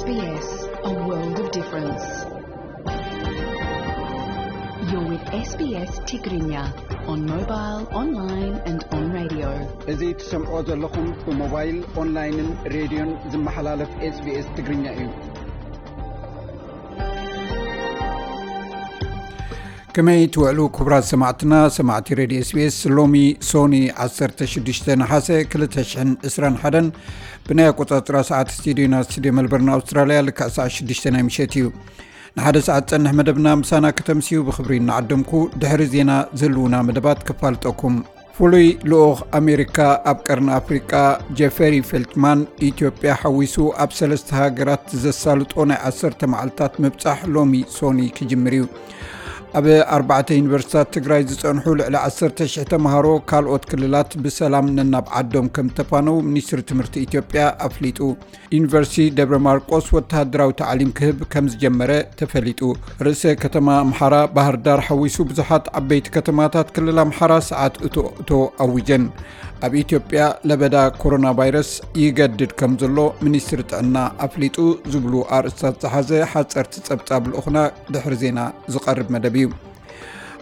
S B S, a world of difference. You're with S B S Tigrinya on mobile, online and on radio. እዚ ትሰምዖ ዘለኹም ብሞባይል፣ ኦንላይንን ሬድዮን ዝመሓላለፍ SBS ትግርኛ እዩ። ከመይ ትውዕሉ ክቡራት ሰማዕትና፣ ሰማዕቲ ሬድዮ SBS? ሎሚ ሶኒ ዓሰርተ ሽዱሽተ ነሓሰ ክልተ ሽሕን ዕስራን ሓደን ብናይ ኣቆጻጽራ ሰዓት ስቱዲዮና፣ ስቱዲዮ መልበርን ኣውስትራልያ፣ ልክዕ ሰዓት ሽዱሽተ ናይ ምሸት እዩ። ንሓደ ሰዓት ጸንሕ መደብና ምሳና ከተምስዩ ብኽብሪ እናዓደምኩ፣ ድሕሪ ዜና ዝህልዉና መደባት ከፋልጠኩም። ፍሉይ ልኡኽ ኣሜሪካ ኣብ ቀርኒ ኣፍሪቃ ጀፈሪ ፌልትማን፣ ኢትዮጵያ ሓዊሱ ኣብ ሰለስተ ሃገራት ዘሳልጦ ናይ ዓሰርተ መዓልታት ምብጻሕ ሎሚ ሶኒ ክጅምር እዩ። ኣብ ኣርባዕተ ዩኒቨርሲታት ትግራይ ዝጸንሑ ልዕሊ ዓሰርተ ሽሕ ተምሃሮ ካልኦት ክልላት ብሰላም ነናብ ዓዶም ከም ተፋነው ሚኒስትሪ ትምህርቲ ኢትዮጵያ ኣፍሊጡ። ዩኒቨርሲቲ ደብረ ማርቆስ ወተሃደራዊ ታዕሊም ክህብ ከም ዝጀመረ ተፈሊጡ። ርእሰ ከተማ ኣምሓራ ባህር ዳር ሓዊሱ ብዙሓት ዓበይቲ ከተማታት ክልል ኣምሓራ ሰዓት እቶ እቶ ኣዊጀን። ኣብ ኢትዮጵያ ለበዳ ኮሮና ቫይረስ ይገድድ ከም ዘሎ ሚኒስትሪ ጥዕና ኣፍሊጡ ዝብሉ ኣርእስታት ዝሓዘ ሓጸርቲ ጸብጻብ ልኡኽና ድሕሪ ዜና ዝቐርብ መደብ እዩ።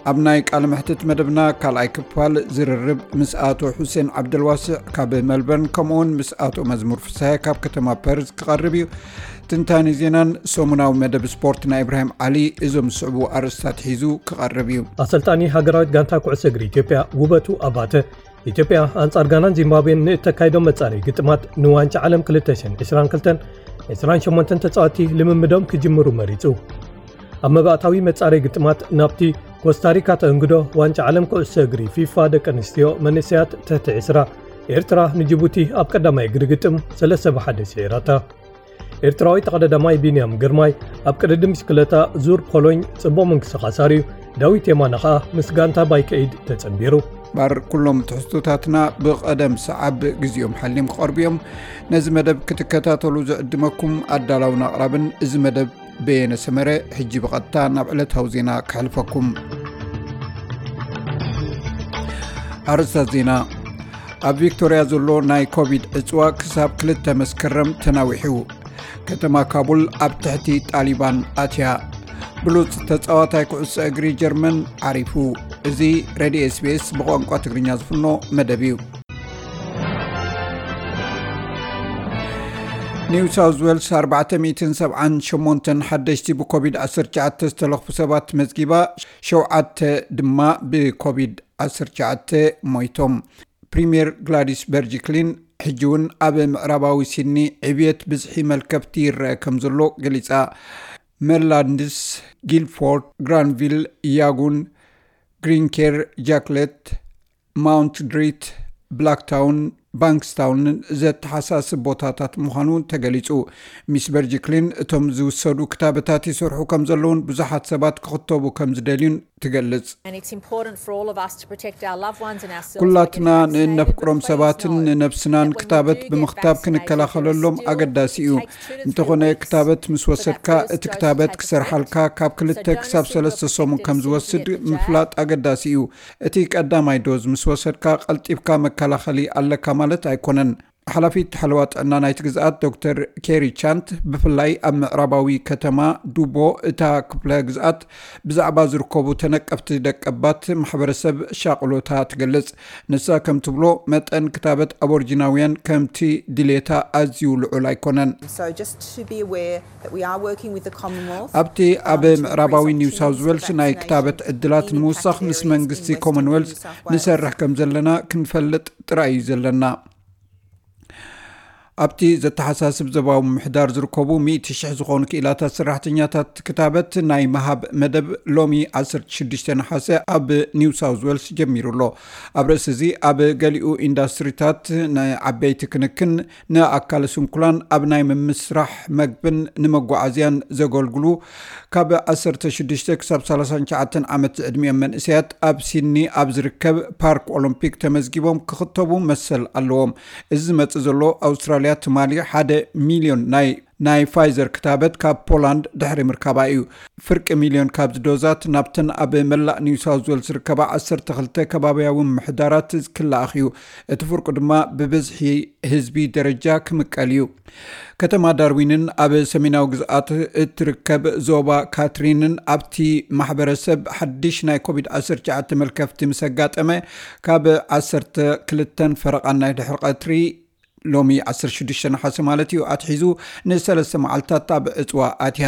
ኣብ ናይ ቃለ መሕትት መደብና ካልኣይ ክፋል ዝርርብ ምስ ኣቶ ሑሴን ዓብደልዋስዕ ካብ መልበርን፣ ከምኡውን ምስ ኣቶ መዝሙር ፍስሃየ ካብ ከተማ ፐርዝ ክቐርብ እዩ። ትንታኔ ዜናን ሰሙናዊ መደብ ስፖርት ናይ ኢብራሂም ዓሊ እዞም ዝስዕቡ ኣርእስታት ሒዙ ክቐርብ እዩ። ኣሰልጣኒ ሃገራዊት ጋንታ ኩዕሶ እግሪ ኢትዮጵያ ውበቱ ኣባተ፣ ኢትዮጵያ ኣንጻር ጋናን ዚምባብዌን ንእተካይዶ መጻረዪ ግጥማት ንዋንጫ ዓለም ክልተ ሽሕን ዕስራን ክልተን፣ ዕስራን ሸሞንተን ተጻወትቲ ልምምዶም ክጅምሩ መሪጹ። ኣብ መባእታዊ መጻረዪ ግጥማት ናብቲ ኮስታሪካ ተእንግዶ ዋንጫ ዓለም ኩዕሶ እግሪ ፊፋ ደቂ ኣንስትዮ መንእሰያት ትሕቲ ዕስራ፣ ኤርትራ ንጅቡቲ ኣብ ቀዳማይ እግሪ ግጥም ሰለስተ ብሓደ ስዒራታ። ኤርትራዊ ተቐዳዳማይ ቢንያም ግርማይ ኣብ ቅድድም ብሽክለታ ዙር ፖሎኝ ጽቡቕ ምንቅስቓስ ኣርእዩ፣ ዳዊት የማነ ኸኣ ምስ ጋንታ ባይከ ኤይድ ተጸንቢሩ። ባር ኩሎም ትሕዝቶታትና ብቐደም ሰዓብ ግዜኦም ሓልዮም ክቐርቡ እዮም። ነዚ መደብ ክትከታተሉ ዝዕድመኩም ኣዳላውን ኣቕራብን እዚ መደብ በየነ ሰመረ። ሕጂ ብቐጥታ ናብ ዕለታዊ ዜና ከሕልፈኩም። ኣርእስታት ዜና። ኣብ ቪክቶርያ ዘሎ ናይ ኮቪድ ዕጽዋ ክሳብ ክልተ መስከረም ተናዊሑ። ከተማ ካቡል ኣብ ትሕቲ ጣሊባን ኣትያ። ብሉጽ ተጻዋታይ ኩዕሶ እግሪ ጀርመን ዓሪፉ። እዚ ሬድዮ SBS ብቋንቋ ትግርኛ ዝፍኖ መደብ እዩ። ኒው ሳውዝ ዌልስ ኣርባዕተ ሚእትን ሰብዓን ሸሞንተን ሓደሽቲ ብኮቪድ ዓሰርተ ትሽዓተ ዝተለኽፉ ሰባት መዝጊባ፣ ሸውዓተ ድማ ብኮቪድ ዓሰርተ ትሽዓተ ሞይቶም። ፕሪምየር ግላዲስ በርጅክሊን፣ ሕጂ እውን ኣብ ምዕራባዊ ሲድኒ ዕብየት ብዝሒ መልከፍቲ ይረአ ከም ዘሎ ገሊጻ። ሜርላንድስ፣ ጊልፎርድ፣ ግራንቪል፣ ያጉን፣ ግሪንኬር፣ ጃክሌት፣ ማውንት ድሪት፣ ብላክታውን ባንክስታውንን ዘተሓሳስብ ቦታታት ምዃኑ ተገሊጹ። ሚስ በርጅክሊን፣ እቶም ዝውሰዱ ክታበታት ይሰርሑ ከም ዘለውን ብዙሓት ሰባት ክኽተቡ ከም ዝደልዩን ትገልጽ። And it's important for all of us to protect our loved ones and ourselves by ኩላትና getting vaccinated, ንእነፍቅሮም but please ሰባትን know ንነብስናን that when we ክታበት do get ብምኽታብ vaccinated, ክንከላኸለሎም there is still ኣገዳሲ እዩ። takes two to three እንተኾነ weeks ክታበት ምስ for that ወሰድካ first እቲ dose to ክታበት take ክሰርሓልካ effect. ካብ So ክልተ don't ክሳብ assume ሰለስተ you're ሰሙን protected ከም simply ዝወስድ at the jab. ምፍላጥ ኣገዳሲ እዩ። እቲ ቀዳማይ ዶዝ ምስ ወሰድካ ቀልጢፍካ መከላኸሊ ኣለካ ማለት ኣይኮነን። ሓላፊት ሓለዋ ጥዕና ናይቲ ግዝኣት ዶክተር ኬሪ ቻንት፣ ብፍላይ ኣብ ምዕራባዊ ከተማ ዱቦ እታ ክፍለ ግዝኣት ብዛዕባ ዝርከቡ ተነቀፍቲ ደቀባት ማሕበረሰብ ሻቕሎታ ትገልጽ። ንሳ ከም ትብሎ፣ መጠን ክታበት ኣቦርጂናውያን ከምቲ ድሌታ ኣዝዩ ልዑል ኣይኮነን። So just to be aware that we are working with the Commonwealth ኣብቲ ኣብ ምዕራባዊ ኒው ሳውዝ ዌልስ ናይ ክታበት ዕድላት ንምውሳኽ ምስ መንግስቲ ኮመንዌልዝ ንሰርሕ ከም ዘለና ክንፈልጥ ጥራይ እዩ ዘለና። ኣብቲ ዘተሓሳስብ ዞባዊ ምምሕዳር ዝርከቡ ሚእቲ ሽሕ ዝኾኑ ክኢላታት ሰራሕተኛታት ክታበት ናይ ምሃብ መደብ ሎሚ ዓሰርተ ሽዱሽተ ነሓሰ ኣብ ኒው ሳውዝ ዌልስ ጀሚሩ ኣሎ። ኣብ ርእሲ እዚ፣ ኣብ ገሊኡ ኢንዳስትሪታት ንዓበይቲ ክንክን፣ ንኣካለ ስንኩላን፣ ኣብ ናይ ምምስራሕ መግብን ንመጓዓዝያን ዘገልግሉ ካብ ዓሰርተ ሽዱሽተ ክሳብ ሰላሳን ትሽዓተን ዓመት ዝዕድሚኦም መንእሰያት ኣብ ሲድኒ ኣብ ዝርከብ ፓርክ ኦሎምፒክ ተመዝጊቦም ክኽተቡ መሰል ኣለዎም። እዚ ዝመጽእ ዘሎ፣ ኣውስትራልያ ትማሊ ሓደ ሚልዮን ናይ ናይ ፋይዘር ክታበት ካብ ፖላንድ ድሕሪ ምርካባ እዩ። ፍርቂ ሚልዮን ካብዚ ዶዛት ናብተን ኣብ መላእ ኒው ሳውዝ ዌልስ ዝርከባ ዓሰርተ ክልተ ከባብያዊ ምምሕዳራት ክለኣኽ እዩ። እቲ ፍርቁ ድማ ብብዝሒ ህዝቢ ደረጃ ክምቀል እዩ። ከተማ ዳርዊንን ኣብ ሰሜናዊ ግዝኣት እትርከብ ዞባ ካትሪንን ኣብቲ ማሕበረሰብ ሓድሽ ናይ ኮቪድ ዓሰርተ ትሽዓተ መልከፍቲ ምስ ኣጋጠመ፣ ካብ ዓሰርተ ክልተን ፈረቓን ናይ ድሕሪ ቀትሪ፣ ሎሚ ዓሰርተ ሽዱሽተ ነሓሰ ማለት እዩ፣ ኣትሒዙ ንሰለስተ መዓልታት ኣብ ዕፅዋ ኣትያ።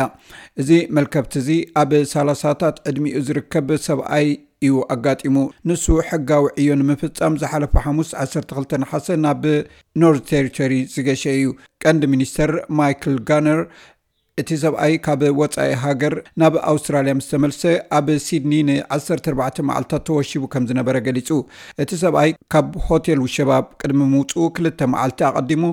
እዚ መልከፍቲ እዚ ኣብ ሰላሳታት ዕድሚኡ ዝርከብ ሰብኣይ እዩ ኣጋጢሙ። ንሱ ሕጋዊ ዕዮ ንምፍጻም ዝሓለፈ ሓሙስ ዓሰርተ ክልተ ነሓሰ ናብ ኖርዝ ቴሪቶሪ ዝገሸ እዩ። ቀንዲ ሚኒስተር ማይክል ጋነር፣ እቲ ሰብኣይ ካብ ወጻኢ ሃገር ናብ ኣውስትራልያ ምስ ተመልሰ፣ ኣብ ሲድኒ ን ዓሰርተ ኣርባዕተ መዓልታት ተወሺቡ ከም ዝነበረ ገሊጹ። እቲ ሰብኣይ ካብ ሆቴል ውሸባ ቅድሚ ምውጽኡ ክልተ መዓልቲ ኣቐዲሙ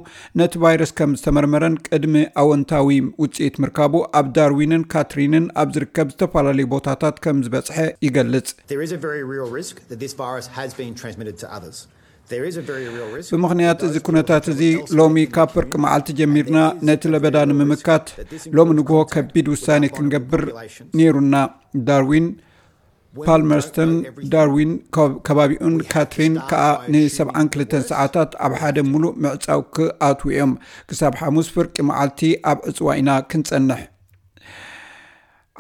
ነቲ ቫይረስ ከም ዝተመርመረን ቅድሚ ኣወንታዊ ውጽኢት ምርካቡ ኣብ ዳርዊንን ካትሪንን ኣብ ዝርከብ ዝተፈላለዩ ቦታታት ከም ዝበጽሐ ይገልጽ። There is a very real risk that this virus has been transmitted to others. There is a very real risk. ብምኽንያት እዚ ኩነታት እዚ፣ ሎሚ ካብ ፍርቂ መዓልቲ ጀሚርና ነቲ ለበዳ ንምምካት ሎሚ ንግሆ ከቢድ ውሳኔ ክንገብር ነይሩና። ዳርዊን ፓልመርስተን፣ ዳርዊን፣ ከ- ከባቢኡን ካትሪን ከኣ ን ሰብዓን ክልተን ሰዓታት ኣብ ሓደ ሙሉእ ምዕጻው ክኣትዉ እዮም። ክሳብ ሓሙስ ፍርቂ መዓልቲ ኣብ ዕጽዋ ኢና ክንጸንሕ።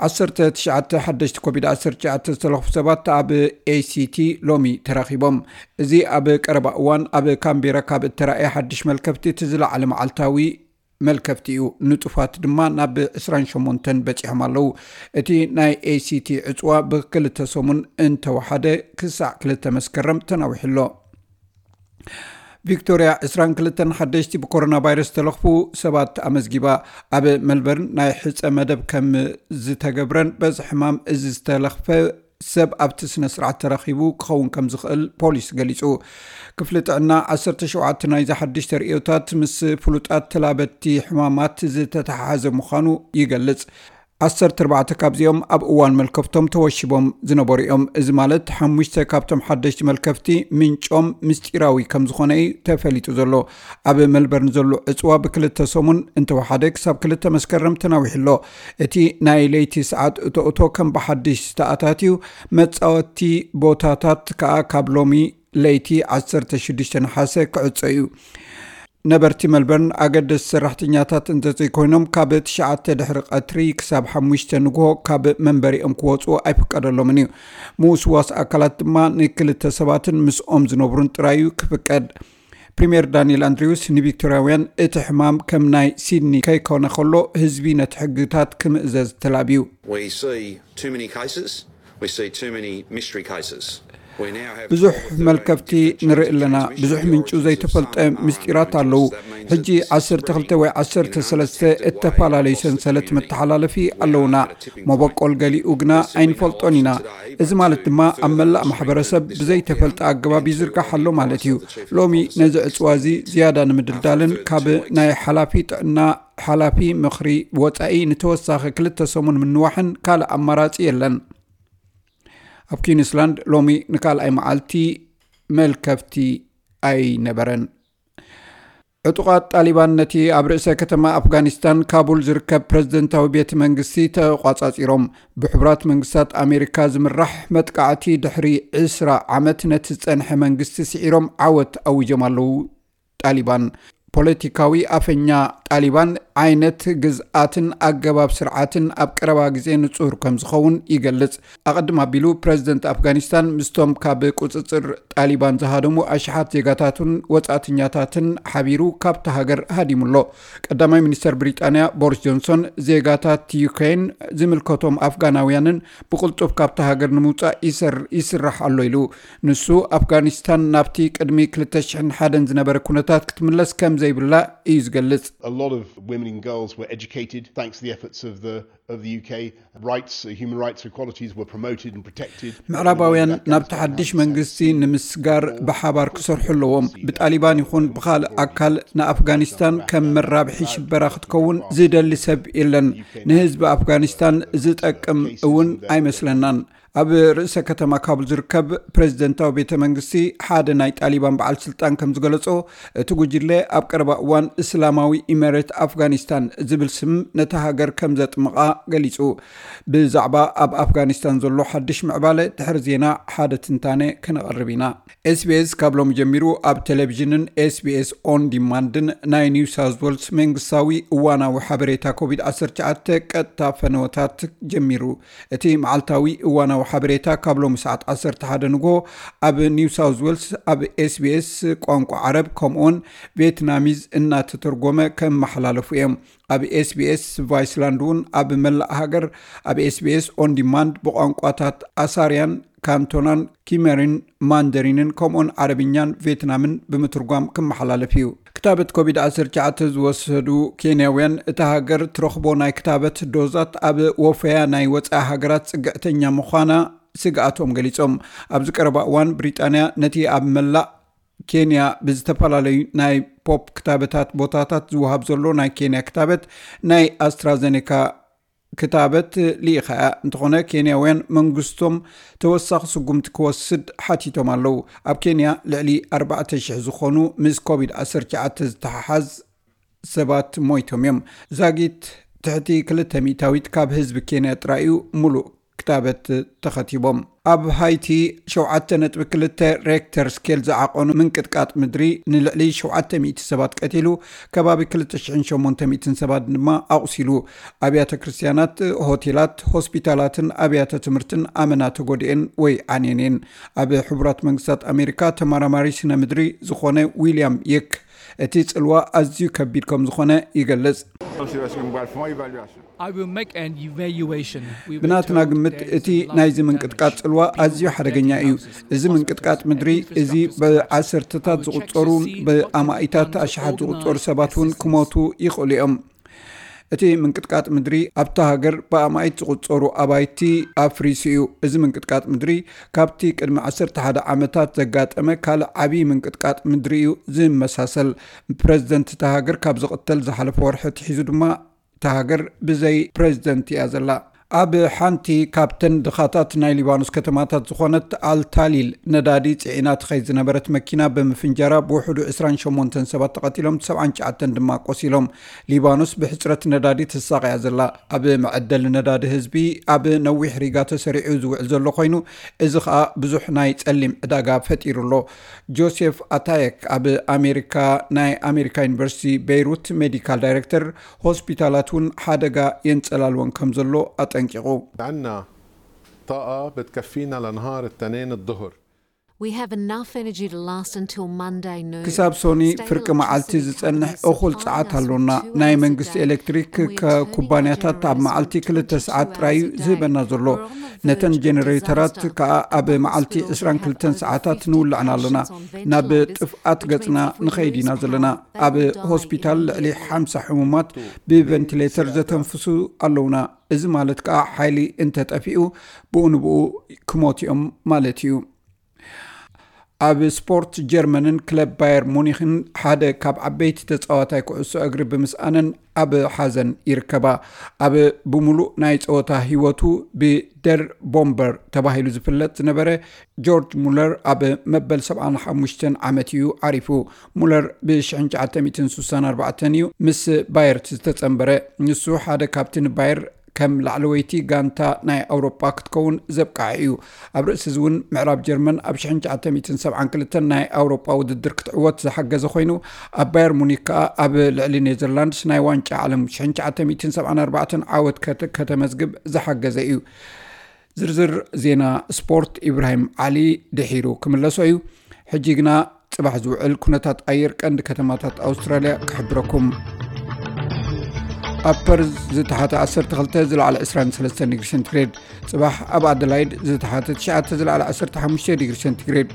ዓሰርተ ትሽዓተ ሓደሽቲ ኮቪድ ዓሰርተ ትሽዓተ ዝተለኽፉ ሰባት ኣብ ኤሲቲ ሎሚ ተረኺቦም። እዚ ኣብ ቀረባ እዋን ኣብ ካምቤራ ካብ እተራእየ ሓድሽ መልከፍቲ እቲ ዝለዓለ መዓልታዊ መልከፍቲ እዩ። ንጡፋት ድማ ናብ ዕስራን ሸሞንተን በጺሖም ኣለዉ። እቲ ናይ ኤሲቲ ዕጽዋ ብክልተ ሰሙን እንተወሓደ ክሳዕ ክልተ መስከረም ተናዊሑ ኣሎ። ቪክቶርያ ዕስራን ክልተን ሓደሽቲ ብኮሮና ቫይረስ ዝተለኽፉ ሰባት ኣመዝጊባ። ኣብ መልበርን ናይ ሕጸ መደብ ከም ዝተገብረን በዚ ሕማም እዚ ዝተለኽፈ ሰብ ኣብቲ ስነ ስርዓት ተረኺቡ ክኸውን ከም ዝኽእል ፖሊስ ገሊጹ። ክፍሊ ጥዕና ዓሰርተ ሸውዓተ ናይዚ ሓድሽ ተርእዮታት ምስ ፍሉጣት ተላበቲ ሕማማት ዝተተሓሓዘ ምዃኑ ይገልጽ። ዓሰርተ ኣርባዕተ ካብዚኦም ኣብ እዋን መልከፍቶም ተወሺቦም ዝነበሩ እዮም። እዚ ማለት ሓሙሽተ ካብቶም ሓደሽቲ መልከፍቲ ምንጮም ምስጢራዊ ከም ዝኾነ እዩ ተፈሊጡ ዘሎ። ኣብ መልበርን ዘሎ ዕጽዋ ብክልተ ሰሙን እንተወሓደ ክሳብ ክልተ መስከረም ተናዊሑ ኣሎ። እቲ ናይ ለይቲ ሰዓት እቶ እቶ ከም ብሓድሽ ዝተኣታትዩ፣ መጻወቲ ቦታታት ከኣ ካብ ሎሚ ለይቲ ዓሰርተ ሽዱሽተ ነሓሰ ክዕጾ እዩ። ነበርቲ መልበርን ኣገደስቲ ሰራሕተኛታት እንተዘይኮይኖም ካብ ትሽዓተ ድሕሪ ቀትሪ ክሳብ ሓሙሽተ ንግሆ ካብ መንበሪኦም ክወፁ ኣይፍቀደሎምን እዩ። ምውስዋስ ኣካላት ድማ ንክልተ ሰባትን ምስኦም ዝነብሩን ጥራይ እዩ ክፍቀድ። ፕሪምየር ዳንኤል ኣንድሪውስ ንቪክቶርያውያን እቲ ሕማም ከም ናይ ሲድኒ ከይኮነ ከሎ ህዝቢ ነቲ ሕግታት ክምእዘዝ ተላብዩ። We see too many cases. We see too many mystery cases. We now have ብዙሕ መልከፍቲ ንርኢ ኣለና። ብዙሕ ምንጩ ዘይተፈልጠ ምስጢራት ኣለዉ። ሕጂ ዓሰርተ ክልተ ወይ ዓሰርተ ሰለስተ እተፈላለዩ ሰንሰለት መተሓላለፊ ኣለውና። መበቆል ገሊኡ ግና ኣይንፈልጦን ኢና። እዚ ማለት ድማ ኣብ መላእ ማሕበረሰብ ብዘይተፈልጠ ኣገባብ ይዝርጋሕ ኣሎ ማለት እዩ። ሎሚ ነዚ ዕፅዋ እዚ ዝያዳ ንምድልዳልን ካብ ናይ ሓላፊ ጥዕና ሓላፊ ምኽሪ ወፃኢ ንተወሳኺ ክልተ ሰሙን ምንዋሕን ካልእ ኣማራፂ የለን። ኣብ ኪንስላንድ ሎሚ ንካልኣይ መዓልቲ መልከፍቲ ኣይነበረን። ዕጡቓት ጣሊባን ነቲ ኣብ ርእሰ ከተማ ኣፍጋኒስታን ካቡል ዝርከብ ፕረዚደንታዊ ቤተ መንግስቲ ተቋጻጺሮም። ብሕቡራት መንግስታት ኣሜሪካ ዝምራሕ መጥቃዕቲ ድሕሪ ዕስራ ዓመት ነቲ ዝጸንሐ መንግስቲ ስዒሮም ዓወት ኣዊጆም ኣለዉ። ጣሊባን ፖለቲካዊ ኣፈኛ ጣሊባን ዓይነት ግዝኣትን ኣገባብ ስርዓትን ኣብ ቀረባ ግዜ ንጹር ከም ዝኸውን ይገልጽ። ኣቐድም ኣቢሉ ፕረዚደንት ኣፍጋኒስታን ምስቶም ካብ ቁጽጽር ጣሊባን ዝሃደሙ ኣሽሓት ዜጋታቱን ወጻእተኛታትን ሓቢሩ ካብቲ ሃገር ሃዲሙ ኣሎ። ቀዳማይ ሚኒስተር ብሪጣንያ ቦሪስ ጆንሶን ዜጋታት ዩክሬን ዝምልከቶም ኣፍጋናውያንን ብቕልጡፍ ካብቲ ሃገር ንምውጻእ ይስራሕ ኣሎ ኢሉ። ንሱ ኣፍጋኒስታን ናብቲ ቅድሚ ክልተ ሽሕን ሓደን ዝነበረ ኩነታት ክትምለስ ከም ዘይብላ እዩ ዝገልጽ። A lot of women and girls were educated thanks to the efforts of the of the U K, rights, uh, human rights, equalities were promoted and protected. ምዕራባውያን ናብቲ ሓድሽ መንግስቲ ንምስጋር ብሓባር ክሰርሑ ኣለዎም። ብጣሊባን ይኹን ብኻልእ ኣካል ንኣፍጋኒስታን ከም መራብሒ ሽበራ ክትከውን ዝደሊ ሰብ የለን። ንህዝቢ ኣፍጋኒስታን ዝጠቅም እውን ኣይመስለናን። ኣብ ርእሰ ከተማ ካቡል ዝርከብ ፕሬዝደንታዊ ቤተ መንግስቲ ሓደ ናይ ጣሊባን በዓል ስልጣን ከም ዝገለጾ፣ እቲ ጉጅለ ኣብ ቀረባ እዋን እስላማዊ ኢሜሬት ኣፍጋኒስታን ዝብል ስም ነታ ሃገር ከም ዘጥምቓ ገሊጹ። ብዛዕባ ኣብ ኣፍጋኒስታን ዘሎ ሓድሽ ምዕባለ ድሕሪ ዜና ሓደ ትንታነ ከነቐርብ ኢና። ኤስቢኤስ ካብ ሎሚ ጀሚሩ ኣብ ቴሌቪዥንን ኤስቢኤስ ኦን ዲማንድን ናይ ኒው ሳውዝ ዌልስ መንግስታዊ እዋናዊ ሓበሬታ ኮቪድ-19 ቀጥታ ፈነወታት ጀሚሩ። እቲ መዓልታዊ እዋናዊ ሓበሬታ ካብ ሎሚ ሰዓት 11 ንጎ ኣብ ኒው ሳውዝ ዌልስ ኣብ ኤስቢኤስ ቋንቋ ዓረብ ከምኡውን ቬትናሚዝ እናተተርጎመ ከመሓላለፉ እዮም። ኣብ ኤስቢኤስ ቫይስላንድ እውን ኣብ መላእ ሃገር ኣብ ኤስቢኤስ ኦን ዲማንድ ብቋንቋታት ኣሳርያን ካንቶናን ኪመሪን ማንደሪንን ከምኡን ዓረብኛን ቬትናምን ብምትርጓም ክመሓላለፍ እዩ። ክታበት ኮቪድ-19 ዝወሰዱ ኬንያውያን እታ ሃገር ትረኽቦ ናይ ክታበት ዶዛት ኣብ ወፈያ ናይ ወፃኢ ሃገራት ፅግዕተኛ ምዃና ስግኣቶም ገሊጾም። ኣብዚ ቀረባ እዋን ብሪጣንያ ነቲ ኣብ መላእ ኬንያ ብዝተፈላለዩ ናይ ፖፕ ክታበታት ቦታታት ዝወሃብ ዘሎ ናይ ኬንያ ክታበት ናይ ኣስትራዘኔካ ክታበት ልኢኻ እያ። እንተኾነ ኬንያውያን መንግስቶም ተወሳኺ ስጉምቲ ክወስድ ሓቲቶም ኣለዉ። ኣብ ኬንያ ልዕሊ 4,000 ዝኾኑ ምስ ኮቪድ 19 ዝተሓሓዝ ሰባት ሞይቶም እዮም። ዛጊት ትሕቲ ክልተ ሚእታዊት ካብ ህዝቢ ኬንያ ጥራይ እዩ ሙሉእ ክታበት ተኸቲቦም። ኣብ ሃይቲ ሸውዓተ ነጥቢ ክልተ ሬክተር ስኬል ዝዓቐኑ ምንቅጥቃጥ ምድሪ ንልዕሊ ሸውዓተ ሚእቲ ሰባት ቀቲሉ፣ ከባቢ ክልተ ሽሕን ሸሞንተ ሚእትን ሰባት ድማ ኣቑሲሉ። ኣብያተ ክርስትያናት፣ ሆቴላት፣ ሆስፒታላትን ኣብያተ ትምህርትን ኣመና ተጎዲኤን ወይ ዓንየን እየን። ኣብ ሕቡራት መንግስታት ኣሜሪካ ተመራማሪ ስነ ምድሪ ዝኾነ ዊልያም የክ እቲ ጽልዋ ኣዝዩ ከቢድ ከም ዝኾነ ይገልጽ። I will make an evaluation. We will ብናትና turn ግምት there is እቲ a lot ናይዚ of ምንቅጥቃጥ damage. ጽልዋ ኣዝዩ ሓደገኛ እዩ። እዚ ምንቅጥቃጥ ምድሪ እዚ ብዓሰርተታት ዝቑጸሩን ብኣማኢታት ኣሽሓት ዝቑጸሩ ሰባት እውን ክሞቱ ይኽእሉ እዮም። እቲ ምንቅጥቃጥ ምድሪ ኣብታ ሃገር ብኣማኢት ዝቑጸሩ ኣባይቲ ኣፍሪሱ እዩ። እዚ ምንቅጥቃጥ ምድሪ ካብቲ ቅድሚ 11 ዓመታት ዘጋጠመ ካልእ ዓብዪ ምንቅጥቃጥ ምድሪ እዩ ዝመሳሰል። ፕረዚደንት እታ ሃገር ካብ ዝቕተል ዝሓለፈ ወርሒ ኣትሒዙ ድማ እታ ሃገር ብዘይ ፕረዚደንት እያ ዘላ። ኣብ ሓንቲ ካብተን ድኻታት ናይ ሊባኖስ ከተማታት ዝኾነት ኣልታሊል ነዳዲ ጽዒና ትኸይድ ዝነበረት መኪና ብምፍንጃራ ብውሕዱ 28 ሰባት ተቐቲሎም፣ 79 ድማ ቆሲሎም። ሊባኖስ ብሕጽረት ነዳዲ ትሳቐያ ዘላ። ኣብ መዐደሊ ነዳዲ ህዝቢ ኣብ ነዊሕ ሪጋ ተሰሪዑ ዝውዕል ዘሎ ኮይኑ፣ እዚ ኸኣ ብዙሕ ናይ ጸሊም ዕዳጋ ፈጢሩ ኣሎ። ጆሴፍ ኣታየክ ኣብ ኣሜሪካ ናይ ኣሜሪካ ዩኒቨርሲቲ ቤይሩት ሜዲካል ዳይሬክተር ሆስፒታላት እውን ሓደጋ የንጸላልወን ከም ዘሎ ኣጠንቂቑ። عنا طاقة بتكفينا لنهار التنين الظهر. We have enough energy to last until Monday noon. ክሳብ ሶኒ ፍርቂ መዓልቲ ዝጸንሕ እኹል ጸዓት ኣሎና። ናይ መንግስቲ ኤሌክትሪክ ኩባንያታት ኣብ መዓልቲ ክልተ ሰዓት ጥራይ እዩ ዝህበና ዘሎ። ነተን ጀነሬተራት ከኣ ኣብ መዓልቲ 22 ሰዓታት ንውልዐን ኣለና። ናብ ጥፍኣት ገጽና ንኸይድ ኢና ዘለና። ኣብ ሆስፒታል ልዕሊ ሓምሳ ሕሙማት ብቨንቲሌተር ዘተንፍሱ ኣለውና። እዚ ማለት ከኣ ሓይሊ እንተጠፊኡ ብኡ ንብኡ ክሞት እዮም ማለት እዩ። ኣብ ስፖርት፣ ጀርመንን ክለብ ባየር ሙኒኽን ሓደ ካብ ዓበይቲ ተጻዋታይ ኩዕሶ እግሪ ብምስኣነን ኣብ ሓዘን ይርከባ። ኣብ ብምሉእ ናይ ጸወታ ህይወቱ ብደር ቦምበር ተባሂሉ ዝፍለጥ ዝነበረ ጆርጅ ሙለር ኣብ መበል 75 ዓመት እዩ ዓሪፉ። ሙለር ብ1964 እዩ ምስ ባየር ዝተጸንበረ። ንሱ ሓደ ካብቲ ንባየር ከም ላዕለወይቲ ጋንታ ናይ ኣውሮጳ ክትከውን ዘብቅዓ እዩ። ኣብ ርእሲ እዚ እውን ምዕራብ ጀርመን ኣብ 1972 ናይ ኣውሮጳ ውድድር ክትዕወት ዝሓገዘ ኮይኑ፣ ኣብ ባየር ሙኒክ ከኣ ኣብ ልዕሊ ኔዘርላንድስ ናይ ዋንጫ ዓለም 1974 ዓወት ከተ- ከተመዝግብ ዝሓገዘ እዩ። ዝርዝር ዜና ስፖርት ኢብራሂም ዓሊ ድሒሩ ክምለሶ እዩ። ሕጂ ግና ጽባሕ ዝውዕል ኩነታት ኣየር ቀንዲ ከተማታት ኣውስትራልያ ክሕብረኩም። ኣብ ፐርዝ ዝተሓተ ዓሰርተ ክልተ ዝለዓለ ዕስራን ሰለስተን ዲግሪ ሴንቲግሬድ። ጽባሕ ኣብ ኣደላይድ ዝተሓተ ትሽዓተ ዝለዓለ ዓሰርተ ሓሙሽተ ዲግሪ ሴንቲግሬድ።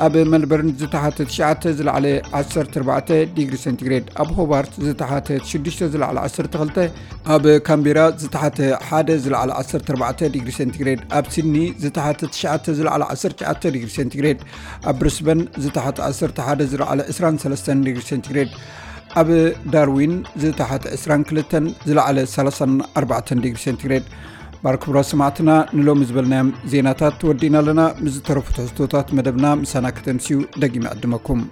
ኣብ መልበርን ዝተሓተ ትሽዓተ ዝለዓለ ዓሰርተ ኣርባዕተ ዲግሪ ሴንቲግሬድ። ኣብ ሆባርት ዝተሓተ ሽዱሽተ ዝለዓለ ዓሰርተ ክልተ። ኣብ ካምቤራ ዝተሓተ ሓደ ዝለዓለ ዓሰርተ ኣርባዕተ ዲግሪ ሴንቲግሬድ። ኣብ ሲድኒ ዝተሓተ ትሽዓተ ዝለዓለ ዓሰርተ ትሽዓተ ዲግሪ ሴንቲግሬድ። ኣብ ብሪስበን ዝተሓተ ዓሰርተ ሓደ ዝለዓለ ዕስራን ሰለስተን ዲግሪ ሴንቲግሬድ። ኣብ ዳርዊን ዝተሓተ ዕስራን ክልተን ዝለዓለ ሰላሳን ኣርባዕተን ዲግሪ ሴንቲግሬድ። ባር ክቡራት ሰማዕትና፣ ንሎሚ ዝበልናዮም ዜናታት ወዲእና ኣለና። ምስ ዝተረፉ ትሕዝቶታት መደብና ምሳና ከተምስዩ ደጊመ ዕድመኩም።